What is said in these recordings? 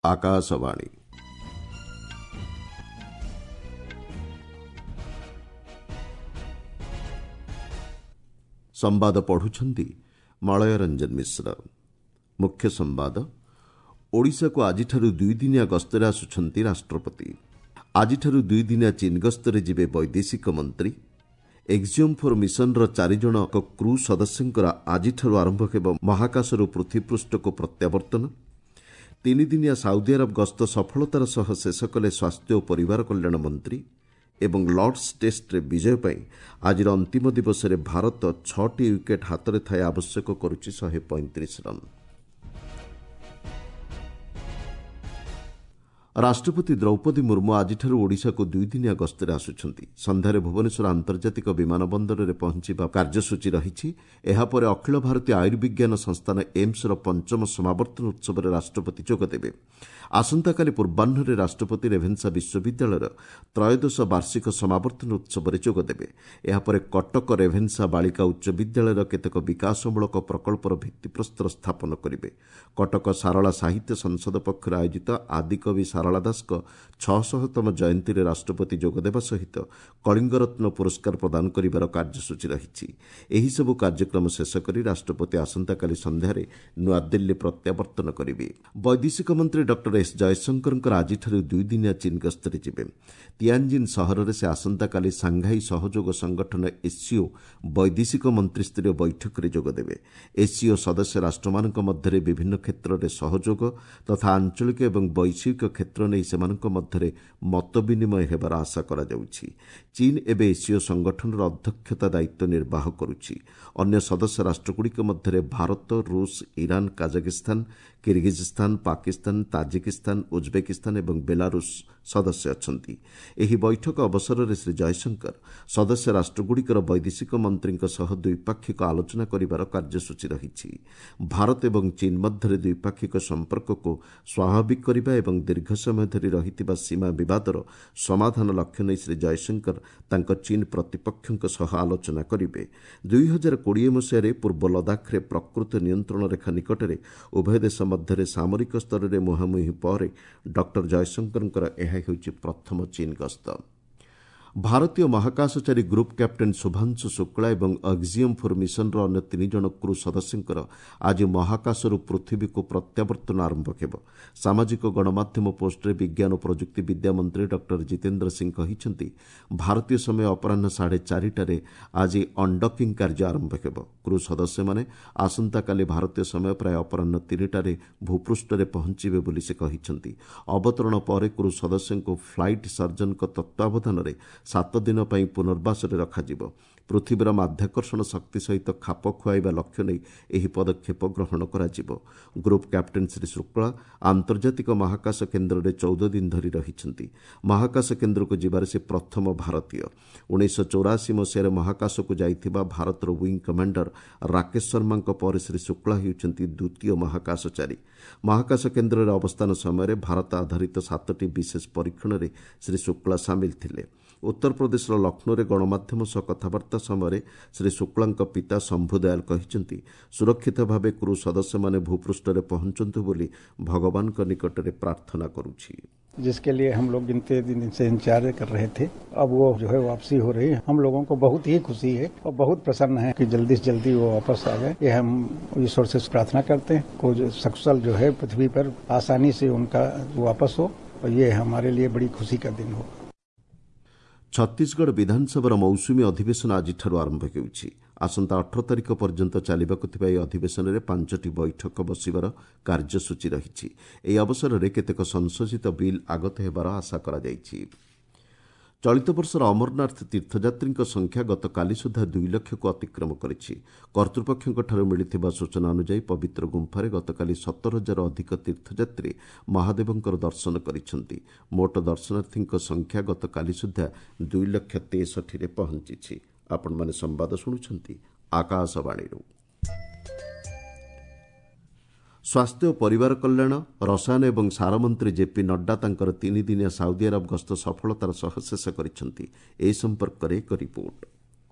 ଆକାଶବାଣୀ। ସମ୍ବାଦ ପଢ଼ୁଛନ୍ତି ମଳୟ ରଞ୍ଜନ ମିଶ୍ର। ମୁଖ୍ୟ ସମ୍ବାଦ, ଓଡ଼ିଶାକୁ ଆଜିଠାରୁ ଦୁଇଦିନିଆ ଗସ୍ତରେ ଆସୁଛନ୍ତି ରାଷ୍ଟ୍ରପତି। ଆଜିଠାରୁ ଦୁଇଦିନିଆ ଚୀନ ଗସ୍ତରେ ଯିବେ ବୈଦେଶିକ ମନ୍ତ୍ରୀ। ଏକ୍ଜିଓମ୍ ଫୋର୍ ମିଶନର ଚାରିଜଣ କ୍ରୁ ସଦସ୍ୟଙ୍କର ଆଜିଠାରୁ ଆରମ୍ଭ ହେବ ମହାକାଶରୁ ପୃଥିବୀପୃଷ୍ଠକୁ ପ୍ରତ୍ୟାବର୍ତ୍ତନ। ତିନିଦିନିଆ ସାଉଦି ଆରବ ଗସ୍ତ ସଫଳତାର ସହ ଶେଷ କଲେ ସ୍ୱାସ୍ଥ୍ୟ ଓ ପରିବାର କଲ୍ୟାଣ ମନ୍ତ୍ରୀ। ଏବଂ ଲର୍ଡସ୍ ଟେଷ୍ଟରେ ବିଜୟ ପାଇଁ ଆଜିର ଅନ୍ତିମ ଦିବସରେ ଭାରତ 6ଟି ୱିକେଟ୍ ହାତରେ ଥାଇ ଆବଶ୍ୟକ କରୁଛି 135 ରନ୍। ରାଷ୍ଟ୍ରପତି ଦ୍ରୌପଦୀ ମୁର୍ମୁ ଆଜିଠାରୁ ଓଡ଼ିଶାକୁ ଦୁଇଦିନିଆ ଗସ୍ତରେ ଆସୁଛନ୍ତି। ସନ୍ଧ୍ୟାରେ ଭୁବନେଶ୍ୱର ଆନ୍ତର୍ଜାତିକ ବିମାନ ବନ୍ଦରରେ ପହଞ୍ଚିବା କାର୍ଯ୍ୟସୂଚୀ ରହିଛି। ଏହାପରେ ଅଖିଳ ଭାରତୀୟ ଆୟୁର୍ବିଜ୍ଞାନ ସଂସ୍ଥାନ ଏମ୍ସର ପଞ୍ଚମ ସମାବର୍ତ୍ତନ ଉତ୍ସବରେ ରାଷ୍ଟ୍ରପତି ଯୋଗଦେବେ। ଆସନ୍ତାକାଲି ପୂର୍ବାହ୍ନରେ ରାଷ୍ଟ୍ରପତି ରେଭେନ୍ସା ବିଶ୍ୱବିଦ୍ୟାଳୟର ତ୍ରୟୋଦଶ ବାର୍ଷିକ ସମାବର୍ତ୍ତନ ଉତ୍ସବରେ ଯୋଗଦେବେ। ଏହାପରେ କଟକ ରେଭେନ୍ସା ବାଳିକା ଉଚ୍ଚ ବିଦ୍ୟାଳୟର କେତେକ ବିକାଶମୂଳକ ପ୍ରକଳ୍ପର ଭିତ୍ତିପ୍ରସ୍ତର ସ୍ଥାପନ କରିବେ। କଟକ ସାରଳା ସାହିତ୍ୟ ସଂସଦ ପକ୍ଷରୁ ଆୟୋଜିତ ଆଦିକବି ସାରଳା ଦାସଙ୍କ 600ତମ ଜୟନ୍ତୀରେ ରାଷ୍ଟ୍ରପତି ଯୋଗଦେବା ସହିତ କଳିଙ୍ଗରତ୍ନ ପୁରସ୍କାର ପ୍ରଦାନ କରିବାର କାର୍ଯ୍ୟସୂଚୀ ରହିଛି। ଏହିସବୁ କାର୍ଯ୍ୟକ୍ରମ ଶେଷ କରି ରାଷ୍ଟ୍ରପତି ଆସନ୍ତାକାଲି ସନ୍ଧ୍ୟାରେ ନୂଆଦିଲ୍ଲୀ ପ୍ରତ୍ୟାବର୍ତ୍ତନ କରିବେ। ବୈଦେଶିକ ମନ୍ତ୍ରୀ ଡକ୍ଟର ଏସ୍ ଜୟଶଙ୍କରଙ୍କର ଆଜିଠାରୁ ଦୁଇଦିନିଆ ଚୀନ ଗସ୍ତରେ ଯିବେ। ତିଆଞ୍ଜିନ୍ ସହରରେ ସେ ଆସନ୍ତାକାଲି ସାଂଘାଇ ସହଯୋଗ ସଂଗଠନ ଏସ୍ସିଓ ବୈଦେଶିକ ମନ୍ତ୍ରୀସ୍ତରୀୟ ବୈଠକରେ ଯୋଗଦେବେ। ଏସ୍ସିଓ ସଦସ୍ୟ ରାଷ୍ଟ୍ରମାନଙ୍କ ମଧ୍ୟରେ ବିଭିନ୍ନ କ୍ଷେତ୍ରରେ ସହଯୋଗ ତଥା ଆଞ୍ଚଳିକ ଏବଂ ବୈଶ୍ୱିକ କ୍ଷେତ୍ର ନେଇ ସେମାନଙ୍କ ମଧ୍ୟରେ ମତ ବିନିମୟ ହେବାର ଆଶା କରାଯାଉଛି। ଚୀନ ଏବେ ଏସ୍ସିଓ ସଂଗଠନର ଅଧ୍ୟକ୍ଷତା ଦାୟିତ୍ୱ ନିର୍ବାହ କରୁଛି। ଅନ୍ୟ ସଦସ୍ୟ ରାଷ୍ଟ୍ରଗୁଡ଼ିକ ମଧ୍ୟରେ ଭାରତ, ରୁଷ, Iran, Kazakhstan, Kyrgyzstan, Pakistan, Tajikistan, Uzbekistan ଏବଂ ବେଲାରୁଷ ସଦସ୍ୟ ଅଛନ୍ତି। ଏହି ବୈଠକ ଅବସରରେ ଶ୍ରୀ ଜୟଶଙ୍କର ସଦସ୍ୟ ରାଷ୍ଟ୍ରଗୁଡ଼ିକର ବୈଦେଶିକ ମନ୍ତ୍ରୀଙ୍କ ସହ ଦ୍ୱିପାକ୍ଷିକ ଆଲୋଚନା କରିବାର କାର୍ଯ୍ୟସୂଚୀ ରହିଛି। ଭାରତ ଏବଂ ଚୀନ ମଧ୍ୟରେ ଦ୍ୱିପାକ୍ଷିକ ସମ୍ପର୍କକୁ ସ୍ୱାଭାବିକ କରିବା ଏବଂ ଦୀର୍ଘ ସମୟ ଧରି ରହିଥିବା ସୀମା ବିବାଦର ସମାଧାନ ଲକ୍ଷ୍ୟ ନେଇ ଶ୍ରୀ ଜୟଶଙ୍କର ତାଙ୍କ ଚୀନ ପ୍ରତିପକ୍ଷଙ୍କ ସହ ଆଲୋଚନା କରିବେ। 2020 ମସିହାରେ ପୂର୍ବ ଲଦାଖରେ ପ୍ରକୃତ ନିୟନ୍ତ୍ରଣ ରେଖା ନିକଟରେ ଉଭୟ ଦେଶ ମଧ୍ୟରେ ସାମରିକ ସ୍ତରରେ ମୁହାଁମୁହିଁ ପରେ ଡକ୍ଟର ଜୟଶଙ୍କରଙ୍କର ଏହା ହେଉଛି ପ୍ରଥମ ଚୀନ ଗସ୍ତ। ଭାରତୀୟ ମହାକାଶଚାରୀ ଗ୍ରୁପ୍ କ୍ୟାପ୍ଟେନ୍ ଶୁଭାଂଶୁ ଶୁକ୍ଳା ଏବଂ ଅକ୍ଜିୟମ୍ ଫୋର୍ ମିଶନର ଅନ୍ୟ ତିନି ଜଣ କ୍ରୁ ସଦସ୍ୟଙ୍କର ଆଜି ମହାକାଶରୁ ପୃଥିବୀକୁ ପ୍ରତ୍ୟାବର୍ତ୍ତନ ଆରମ୍ଭ ହେବ। ସାମାଜିକ ଗଣମାଧ୍ୟମ ପୋଷ୍ଟରେ ବିଜ୍ଞାନ ଓ ପ୍ରଯୁକ୍ତି ବିଦ୍ୟା ମନ୍ତ୍ରୀ ଡକ୍ଟର ଜିତେନ୍ଦ୍ର ସିଂ କହିଛନ୍ତି, ଭାରତୀୟ ସମୟ ଅପରାହ୍ନ 4:30ରେ ଆଜି ଅନଡକିଂ କାର୍ଯ୍ୟ ଆରମ୍ଭ ହେବ। କ୍ରୁ ସଦସ୍ୟମାନେ ଆସନ୍ତାକାଲି ଭାରତୀୟ ସମୟ ପ୍ରାୟ ଅପରାହ୍ନ 3ଟାରେ ଭୂପୃଷ୍ଠରେ ପହଞ୍ଚିବେ ବୋଲି ସେ କହିଛନ୍ତି। ଅବତରଣ ପରେ କ୍ରୁ ସଦସ୍ୟଙ୍କୁ ଫ୍ଲାଇଟ୍ ସର୍ଜନଙ୍କ ତତ୍ତ୍ୱାବଧାନରେ 7 ଦିନ ପାଇଁ ପୁନର୍ବାସରେ ରଖାଯିବ। ପୃଥିବୀର ମାଧ୍ୟାକର୍ଷଣ ଶକ୍ତି ସହିତ ଖାପ ଖୁଆଇବା ଲକ୍ଷ୍ୟ ନେଇ ଏହି ପଦକ୍ଷେପ ଗ୍ରହଣ କରାଯିବ। ଗ୍ରୁପ୍ କ୍ୟାପ୍ଟେନ୍ ଶ୍ରୀ ଶୁକ୍ଳା ଆନ୍ତର୍ଜାତିକ ମହାକାଶ କେନ୍ଦ୍ରରେ 14 ଦିନ ଧରି ରହିଛନ୍ତି। ମହାକାଶ କେନ୍ଦ୍ରକୁ ଯିବାରେ ସେ ପ୍ରଥମ ଭାରତୀୟ। 1984 ମସିହାରେ ମହାକାଶକୁ ଯାଇଥିବା ଭାରତର ୱିଙ୍ଗ କମାଣ୍ଡର ରାକେଶ ଶର୍ମାଙ୍କ ପରେ ଶ୍ରୀ ଶୁକ୍ଳା ହେଉଛନ୍ତି ଦ୍ୱିତୀୟ ମହାକାଶଚାରୀ। ମହାକାଶ କେନ୍ଦ୍ରରେ ଅବସ୍ଥାନ ସମୟରେ ଭାରତ ଆଧାରିତ 7ଟି ବିଶେଷ ପରୀକ୍ଷଣରେ ଶ୍ରୀ ଶୁକ୍ଳା ସାମିଲ ଥିଲେ। ଉତ୍ତରପ୍ରଦେଶର ଲକ୍ଷ୍ନୌରେ ଗଣମାଧ୍ୟମ ସହ କଥାବାର୍ତ୍ତା ସମୟରେ ଶ୍ରୀ ଶୁକ୍ଳାଙ୍କ ପିତା ଶମ୍ଭୁ ଦୟାଲ କହିଛନ୍ତି, ସୁରକ୍ଷିତ ଭାବେ କ୍ରୁ ସଦସ୍ୟମାନେ ଭୂପୃଷ୍ଠରେ ପହଞ୍ଚନ୍ତୁ ବୋଲି ଭଗବାନଙ୍କ ନିକଟରେ ପ୍ରାର୍ଥନା କରୁଛି। जिसके लिए हम लोग इतने दिन से इंतजार कर रहे थे, अब वो जो है वापसी हो रही है। हम लोगों को बहुत ही खुशी है और बहुत प्रसन्न है कि जल्दी से जल्दी वो वापस आ जाए। ये हम ईश्वर से प्रार्थना करते हैं को जो सकुशल जो है पृथ्वी पर आसानी से उनका वापस हो और ये हमारे लिए बड़ी खुशी का दिन हो। ଛତିଶଗଡ଼ ବିଧାନସଭାର ମୌସୁମୀ ଅଧିବେଶନ ଆଜିଠାରୁ ଆରମ୍ଭ ହେଉଛି। ଆସନ୍ତା 18 ତାରିଖ ପର୍ଯ୍ୟନ୍ତ ଚାଲିବାକୁ ଥିବା ଏହି ଅଧିବେଶନରେ 5ଟି ବୈଠକ ବସିବାର କାର୍ଯ୍ୟସୂଚୀ ରହିଛି। ଏହି ଅବସରରେ କେତେକ ସଂଶୋଧିତ ବିଲ୍ ଆଗତ ହେବାର ଆଶା କରାଯାଇଛି। ଚଳିତ ବର୍ଷର ଅମରନାଥ ତୀର୍ଥଯାତ୍ରୀଙ୍କ ସଂଖ୍ୟା ଗତକାଲି ସୁଦ୍ଧା 2 ଲକ୍ଷକୁ ଅତିକ୍ରମ କରିଛି। କର୍ତ୍ତୃପକ୍ଷଙ୍କଠାରୁ ମିଳିଥିବା ସୂଚନା ଅନୁଯାୟୀ ପବିତ୍ର ଗୁମ୍ଫାରେ ଗତକାଲି 17 ହଜାର ଅଧିକ ତୀର୍ଥଯାତ୍ରୀ ମହାଦେବଙ୍କର ଦର୍ଶନ କରିଛନ୍ତି। ମୋଟ ଦର୍ଶନାର୍ଥୀଙ୍କ ସଂଖ୍ୟା ଗତକାଲି ସୁଦ୍ଧା 2 ଲକ୍ଷ 63ରେ ପହଞ୍ଚିଛି। ଆପଣମାନେ ସମ୍ବାଦ ଶୁଣୁଛନ୍ତି ଆକାଶବାଣୀରୁ। ସ୍ୱାସ୍ଥ୍ୟ ଓ ପରିବାର କଲ୍ୟାଣ, ରସାୟନ ଏବଂ ସାର ମନ୍ତ୍ରୀ ଜେପି ନଡ୍ଡା ତାଙ୍କର ତିନିଦିନିଆ ସାଉଦି ଆରବ ଗସ୍ତ ସଫଳତାର ସହ ଶେଷ କରିଛନ୍ତି। ଏ ସମ୍ପର୍କରେ ଏକ ରିପୋର୍ଟ।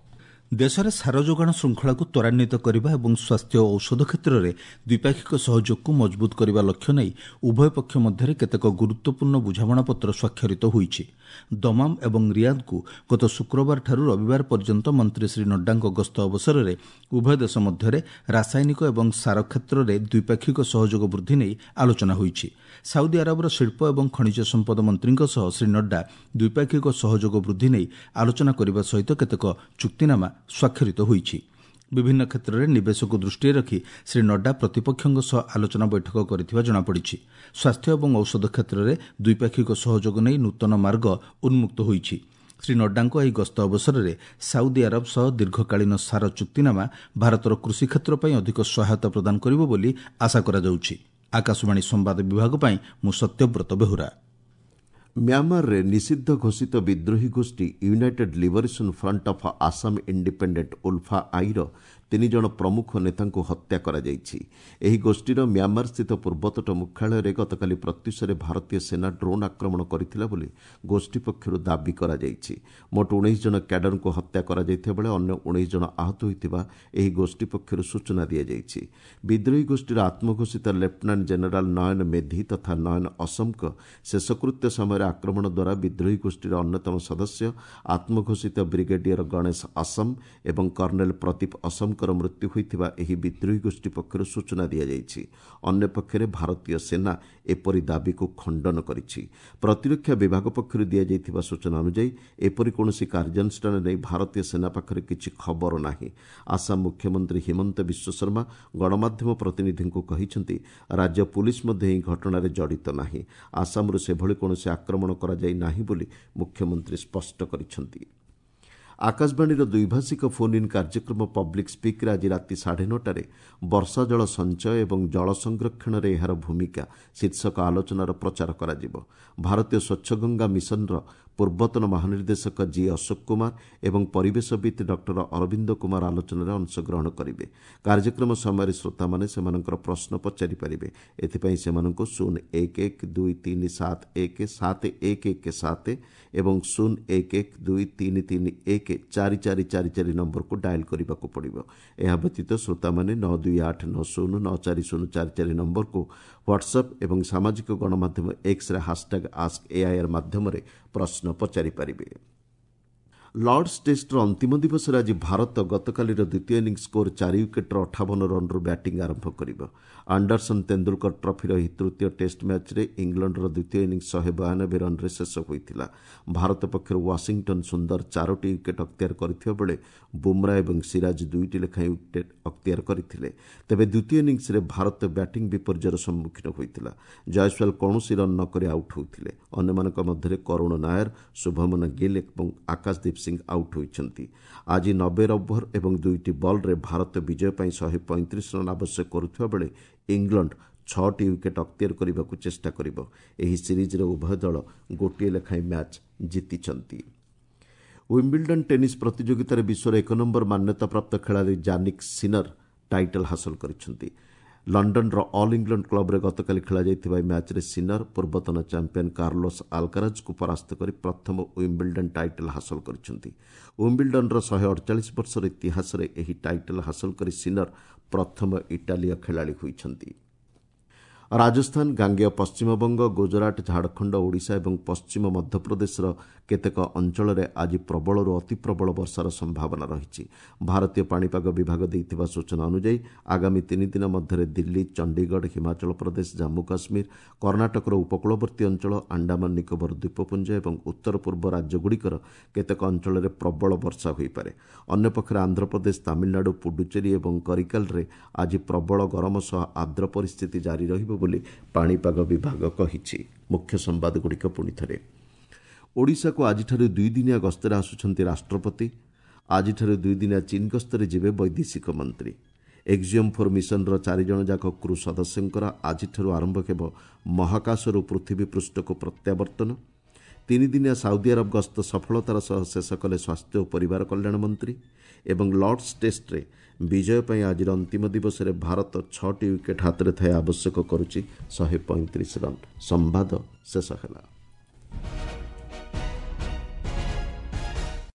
ଦେଶରେ ସାର ଯୋଗାଣ ଶୃଙ୍ଖଳାକୁ ତ୍ୱରାନ୍ୱିତ କରିବା ଏବଂ ସ୍ୱାସ୍ଥ୍ୟ ଓ ଔଷଧ କ୍ଷେତ୍ରରେ ଦ୍ୱିପାକ୍ଷିକ ସହଯୋଗକୁ ମଜବୁତ କରିବା ଲକ୍ଷ୍ୟ ନେଇ ଉଭୟ ପକ୍ଷ ମଧ୍ୟରେ କେତେକ ଗୁରୁତ୍ୱପୂର୍ଣ୍ଣ ବୁଝାମଣାପତ୍ର ସ୍ୱାକ୍ଷରିତ ହୋଇଛି। ଦମାମ ଏବଂ ରିୟାଦକୁ ଗତ ଶୁକ୍ରବାରଠାରୁ ରବିବାର ପର୍ଯ୍ୟନ୍ତ ମନ୍ତ୍ରୀ ଶ୍ରୀ ନଡ୍ଡାଙ୍କ ଗସ୍ତ ଅବସରରେ ଉଭୟ ଦେଶ ମଧ୍ୟରେ ରାସାୟନିକ ଏବଂ ସାର କ୍ଷେତ୍ରରେ ଦ୍ୱିପାକ୍ଷିକ ସହଯୋଗ ବୃଦ୍ଧି ନେଇ ଆଲୋଚନା ହୋଇଛି। ସାଉଦି ଆରବର ଶିଳ୍ପ ଏବଂ ଖଣିଜ ସମ୍ପଦ ମନ୍ତ୍ରୀଙ୍କ ସହ ଶ୍ରୀ ନଡ୍ଡା ଦ୍ୱିପାକ୍ଷିକ ସହଯୋଗ ବୃଦ୍ଧି ନେଇ ଆଲୋଚନା କରିବା ସହିତ କେତେକ ଚୁକ୍ତିନାମା ସ୍ୱାକ୍ଷରିତ ହୋଇଛି। ବିଭିନ୍ନ କ୍ଷେତ୍ରରେ ନିବେଶକୁ ଦୃଷ୍ଟିରେ ରଖି ଶ୍ରୀ ନଡ୍ଡା ପ୍ରତିପକ୍ଷଙ୍କ ସହ ଆଲୋଚନା ବୈଠକ କରିଥିବା ଜଣାପଡ଼ିଛି। ସ୍ୱାସ୍ଥ୍ୟ ଏବଂ ଔଷଧ କ୍ଷେତ୍ରରେ ଦ୍ୱିପାକ୍ଷିକ ସହଯୋଗ ନେଇ ନୂତନ ମାର୍ଗ ଉନ୍ମୁକ୍ତ ହୋଇଛି। ଶ୍ରୀ ନଡ୍ଡାଙ୍କ ଏହି ଗସ୍ତ ଅବସରରେ ସାଉଦି ଆରବ ସହ ଦୀର୍ଘକାଳୀନ ସାର ଚୁକ୍ତିନାମା ଭାରତର କୃଷି କ୍ଷେତ୍ର ପାଇଁ ଅଧିକ ସହାୟତା ପ୍ରଦାନ କରିବ ବୋଲି ଆଶା କରାଯାଉଛି। ଆକାଶବାଣୀ ସମ୍ବାଦ ବିଭାଗ ପାଇଁ ମୁଁ ସତ୍ୟବ୍ରତ ବେହୁରା। ମ୍ୟାମାରରେ ନିଷିଦ୍ଧ ଘୋଷିତ ବିଦ୍ରୋହୀ ଗୋଷ୍ଠୀ United Liberation Front of Assam Independent ULFA ଆଇର 3 ଜଣ ପ୍ରମୁଖ ନେତାଙ୍କୁ ହତ୍ୟା କରାଯାଇଛି। ଏହି ଗୋଷ୍ଠୀର ମ୍ୟାମାରସ୍ଥିତ ପୂର୍ବତଟ ମୁଖ୍ୟାଳୟରେ ଗତକାଲି ପ୍ରତ୍ୟୁଷରେ ଭାରତୀୟ ସେନା ଡ୍ରୋନ୍ ଆକ୍ରମଣ କରିଥିଲା ବୋଲି ଗୋଷ୍ଠୀ ପକ୍ଷରୁ ଦାବି କରାଯାଇଛି। ମୋଟ 19 ଜଣ କ୍ୟାଡରଙ୍କୁ ହତ୍ୟା କରାଯାଇଥିବା ବେଳେ ଅନ୍ୟ 19 ଜଣ ଆହତ ହୋଇଥିବା ଏହି ଗୋଷ୍ଠୀ ପକ୍ଷରୁ ସୂଚନା ଦିଆଯାଇଛି। ବିଦ୍ରୋହୀ ଗୋଷ୍ଠୀର ଆତ୍ମଘୋଷିତ ଲେଫ୍ଟନାଣ୍ଟ ଜେନେରାଲ ନୟନ ମେଧି ତଥା ନୟନ ଅସମଙ୍କ ଶେଷକୃତ୍ୟ ସମୟରେ ଆକ୍ରମଣ ଦ୍ୱାରା ବିଦ୍ରୋହୀ ଗୋଷ୍ଠୀର ଅନ୍ୟତମ ସଦସ୍ୟ ଆତ୍ମଘୋଷିତ ବ୍ରିଗେଡିୟର ଗଣେଶ ଅସମ ଏବଂ କର୍ଣ୍ଣେଲ ପ୍ରଦୀପ ଅସମଙ୍କର ମୃତ୍ୟୁ ହୋଇଥିବା ଏହି ବିଦ୍ରୋହୀ ଗୋଷ୍ଠୀ ପକ୍ଷରୁ ସୂଚନା ଦିଆଯାଇଛି। ଅନ୍ୟପକ୍ଷରେ ଭାରତୀୟ ସେନା ଏପରି ଦାବିକୁ ଖଣ୍ଡନ କରିଛି। ପ୍ରତିରକ୍ଷା ବିଭାଗ ପକ୍ଷରୁ ଦିଆଯାଇଥିବା ସୂଚନା ଅନୁଯାୟୀ ଏପରି କୌଣସି କାର୍ଯ୍ୟାନୁଷ୍ଠାନ ନେଇ ଭାରତୀୟ ସେନା ପାଖରେ କିଛି ଖବର ନାହିଁ। ଆସାମ ମୁଖ୍ୟମନ୍ତ୍ରୀ ହିମନ୍ତ ବିଶ୍ୱଶର୍ମା ଗଣମାଧ୍ୟମ ପ୍ରତିନିଧିଙ୍କୁ କହିଛନ୍ତି, ରାଜ୍ୟ ପୁଲିସ ମଧ୍ୟ ଏହି ଘଟଣାରେ ଜଡ଼ିତ ନାହିଁ। ଆସାମରୁ ସେଭଳି କୌଣସି ଆକ୍ରମଣ କରାଯାଇ ନାହିଁ ବୋଲି ମୁଖ୍ୟମନ୍ତ୍ରୀ ସ୍ପଷ୍ଟ କରିଛନ୍ତି। ଆକାଶବାଣୀର ଦ୍ୱିଭାଷିକ ଫୋନ୍ ଇନ୍ କାର୍ଯ୍ୟକ୍ରମ ପବ୍ଲିକ୍ ସ୍ପିକ୍ରେ ଆଜି ରାତି 9:30ରେ ବର୍ଷା ଜଳ ସଞ୍ଚୟ ଏବଂ ଜଳ ସଂରକ୍ଷଣରେ ଏହାର ଭୂମିକା ଶୀର୍ଷକ ଆଲୋଚନାର ପ୍ରଚାର କରାଯିବ। ଭାରତୀୟ ସ୍ୱଚ୍ଛଗଙ୍ଗା ମିଶନର ପୂର୍ବତନ ମହାନିର୍ଦ୍ଦେଶକ ଜି ଅଶୋକ କୁମାର ଏବଂ ପରିବେଶବିତ୍ ଡକ୍ଟର ଅରବିନ୍ଦ କୁମାର ଆଲୋଚନାରେ ଅଂଶଗ୍ରହଣ କରିବେ। କାର୍ଯ୍ୟକ୍ରମ ସମୟରେ ଶ୍ରୋତାମାନେ ସେମାନଙ୍କର ପ୍ରଶ୍ନ ପଚାରିପାରିବେ। ଏଥିପାଇଁ ସେମାନଙ୍କୁ 0 1 1 2 3 7 1 7 1 1 7 ଏବଂ 0 1 1 2 3 3 1 4 4 4 4 ନମ୍ବରକୁ ଡାଏଲ୍ କରିବାକୁ ପଡ଼ିବ। ଏହା ବ୍ୟତୀତ ଶ୍ରୋତାମାନେ 9 2 8 9 0 9 4 0 4 4 ନମ୍ବରକୁ ହ୍ୱାଟ୍ସଆପ୍ ଏବଂ ସାମାଜିକ ଗଣମାଧ୍ୟମ ଏକ୍ସରେ ହାସଟ୍ୟାଗ୍ ଆସ୍କ ଏଆଇଆର୍ ମାଧ୍ୟମରେ ପ୍ରଶ୍ନ ପଚାରିପାରିବେ। ଲର୍ଡସ୍ ଟେଷ୍ଟର ଅନ୍ତିମ ଦିବସରେ ଆଜି ଭାରତ ଗତକାଲିର ଦ୍ୱିତୀୟ ଇନିଂସ ସ୍କୋର 4 ୱିକେଟ୍ର 58 ରନ୍ରୁ ବ୍ୟାଟିଂ ଆରମ୍ଭ କରିବ। ଆଣ୍ଡରସନ୍ ତେନ୍ଦୁଲକର ଟ୍ରଫିର ଏହି ତୃତୀୟ ଟେଷ୍ଟ ମ୍ୟାଚ୍ରେ ଇଂଲଣ୍ଡର ଦ୍ୱିତୀୟ ଇନିଂସ 192 ରନ୍ରେ ଶେଷ ହୋଇଥିଲା। ଭାରତ ପକ୍ଷରୁ ୱାଶିଂଟନ୍ ସୁନ୍ଦର 4ଟି ୱିକେଟ୍ ଅକ୍ତିଆର କରିଥିବା ବେଳେ ବୁମ୍ରା ଏବଂ ସିରାଜ 2ଟି ଲେଖାଏଁ ୱିକେଟ୍ ଅକ୍ତିଆର କରିଥିଲେ। ତେବେ ଦ୍ୱିତୀୟ ଇନିଂସରେ ଭାରତ ବ୍ୟାଟିଂ ବିପର୍ଯ୍ୟୟର ସମ୍ମୁଖୀନ ହୋଇଥିଲା। ଜୟସ୍ୱାଲ କୌଣସି ରନ୍ ନ କରି ଆଉଟ୍ ହୋଇଥିଲେ। ଅନ୍ୟମାନଙ୍କ ମଧ୍ୟରେ କରୁଣ ନାୟର, ଶୁଭମନ ଗିଲ୍ ଏବଂ ଆକାଶଦୀପ ସିଂ ଆଉଟ୍ ହୋଇଛନ୍ତି। ଆଜି 90 ଓଭର ଏବଂ 2ଟି ବଲ୍ରେ ଭାରତ ବିଜୟ ପାଇଁ 135 ରନ୍ ଆବଶ୍ୟକ କରୁଥିବା ବେଳେ ଇଂଲଣ୍ଡ 6ଟି ୱିକେଟ୍ ଅକ୍ତିଆର କରିବାକୁ ଚେଷ୍ଟା କରିବ। ଏହି ସିରିଜ୍ରେ ଉଭୟ ଦଳ ଗୋଟିଏ ଲେଖାଏଁ ମ୍ୟାଚ୍ ଜିତିଛନ୍ତି। ୱିମ୍ବିଲ୍ଡନ୍ ଟେନିସ୍ ପ୍ରତିଯୋଗିତାରେ ବିଶ୍ୱର 1 ନମ୍ବର ମାନ୍ୟତାପ୍ରାପ୍ତ ଖେଳାଳି ଜାନିକ୍ ସିନର ଟାଇଟଲ୍ ହାସଲ କରିଛନ୍ତି। ଲଣ୍ଡନର ଅଲ୍ ଇଂଲଣ୍ଡ କ୍ଲବ୍ରେ ଗତକାଲି ଖେଳାଯାଇଥିବା ଏହି ମ୍ୟାଚ୍ରେ ସିନର ପୂର୍ବତନ ଚାମ୍ପିୟନ୍ କାର୍ଲୋସ୍ ଆଲକାରାଜଙ୍କୁ ପରାସ୍ତ କରି ପ୍ରଥମ ୱିମ୍ବିଲ୍ଡନ୍ ଟାଇଟଲ୍ ହାସଲ କରିଛନ୍ତି। ୱିମ୍ବିଲ୍ଡନ୍ର 148 ବର୍ଷର ଇତିହାସରେ ଏହି ଟାଇଟଲ୍ ହାସଲ କରି ସିନର ପ୍ରଥମ ଇଟାଲୀୟ ଖେଳାଳି ହୋଇଛନ୍ତି। ରାଜସ୍ଥାନ, ଗାଙ୍ଗେୟ ପଶ୍ଚିମବଙ୍ଗ, ଗୁଜରାଟ, ଝାଡ଼ଖଣ୍ଡ, ଓଡ଼ିଶା ଏବଂ ପଶ୍ଚିମ ମଧ୍ୟପ୍ରଦେଶର କେତେକ ଅଞ୍ଚଳରେ ଆଜି ପ୍ରବଳରୁ ଅତିପ୍ରବଳ ବର୍ଷାର ସମ୍ଭାବନା ରହିଛି। ଭାରତୀୟ ପାଣିପାଗ ବିଭାଗ ଦେଇଥିବା ସୂଚନା ଅନୁଯାୟୀ ଆଗାମୀ 3 ଦିନ ମଧ୍ୟରେ ଦିଲ୍ଲୀ, ଚଣ୍ଡିଗଡ଼, ହିମାଚଳ ପ୍ରଦେଶ, ଜାମ୍ମୁ କାଶ୍ମୀର, କର୍ଣ୍ଣାଟକର ଉପକୂଳବର୍ତ୍ତୀ ଅଞ୍ଚଳ, ଆଣ୍ଡାମାନ ନିକୋବର ଦ୍ୱୀପପୁଞ୍ଜ ଏବଂ ଉତ୍ତର ପୂର୍ବ ରାଜ୍ୟଗୁଡ଼ିକର କେତେକ ଅଞ୍ଚଳରେ ପ୍ରବଳ ବର୍ଷା ହୋଇପାରେ। ଅନ୍ୟପକ୍ଷରେ ଆନ୍ଧ୍ରପ୍ରଦେଶ, ତାମିଲନାଡୁ, ପୁଡୁଚେରୀ ଏବଂ କରିକାଲରେ ଆଜି ପ୍ରବଳ ଗରମ ସହ ଆର୍ଦ୍ର ପରିସ୍ଥିତି ଜାରି ରହିବ ବୋଲି ପାଣିପାଗ ବିଭାଗ କହିଛି। ମୁଖ୍ୟ ସମ୍ବାଦଗୁଡ଼ିକ ପୁଣି ଥରେ। ଓଡ଼ିଶାକୁ ଆଜିଠାରୁ 2 ଦିନିଆ ଗସ୍ତରେ ଆସୁଛନ୍ତି ରାଷ୍ଟ୍ରପତି। ଆଜିଠାରୁ 2 ଦିନିଆ ଚୀନ ଗସ୍ତରେ ଯିବେ ବୈଦେଶିକ ମନ୍ତ୍ରୀ। ଏକ୍ସିୟମ୍ 4 ମିଶନର 4 ଜଣ ଯାକ କ୍ରୁ ସଦସ୍ୟଙ୍କର ଆଜିଠାରୁ ଆରମ୍ଭ ହେବ ମହାକାଶରୁ ପୃଥିବୀ ପୃଷ୍ଠକୁ ପ୍ରତ୍ୟାବର୍ତ୍ତନ। 3 ଦିନିଆ ସାଉଦି ଆରବ ଗସ୍ତ ସଫଳତାର ସହ ଶେଷ କଲେ ସ୍ୱାସ୍ଥ୍ୟ ଓ ପରିବାର କଲ୍ୟାଣ ମନ୍ତ୍ରୀ। ଏବଂ ଲର୍ଡସ୍ ଟେଷ୍ଟରେ ବିଜୟ ପାଇଁ ଆଜିର ଅନ୍ତିମ ଦିବସରେ ଭାରତ 6ଟି ୱିକେଟ୍ ହାତରେ ଥାଇ ଆବଶ୍ୟକ କରୁଛି 135 ରନ୍। ସମ୍ବାଦ ଶେଷ ହେଲା।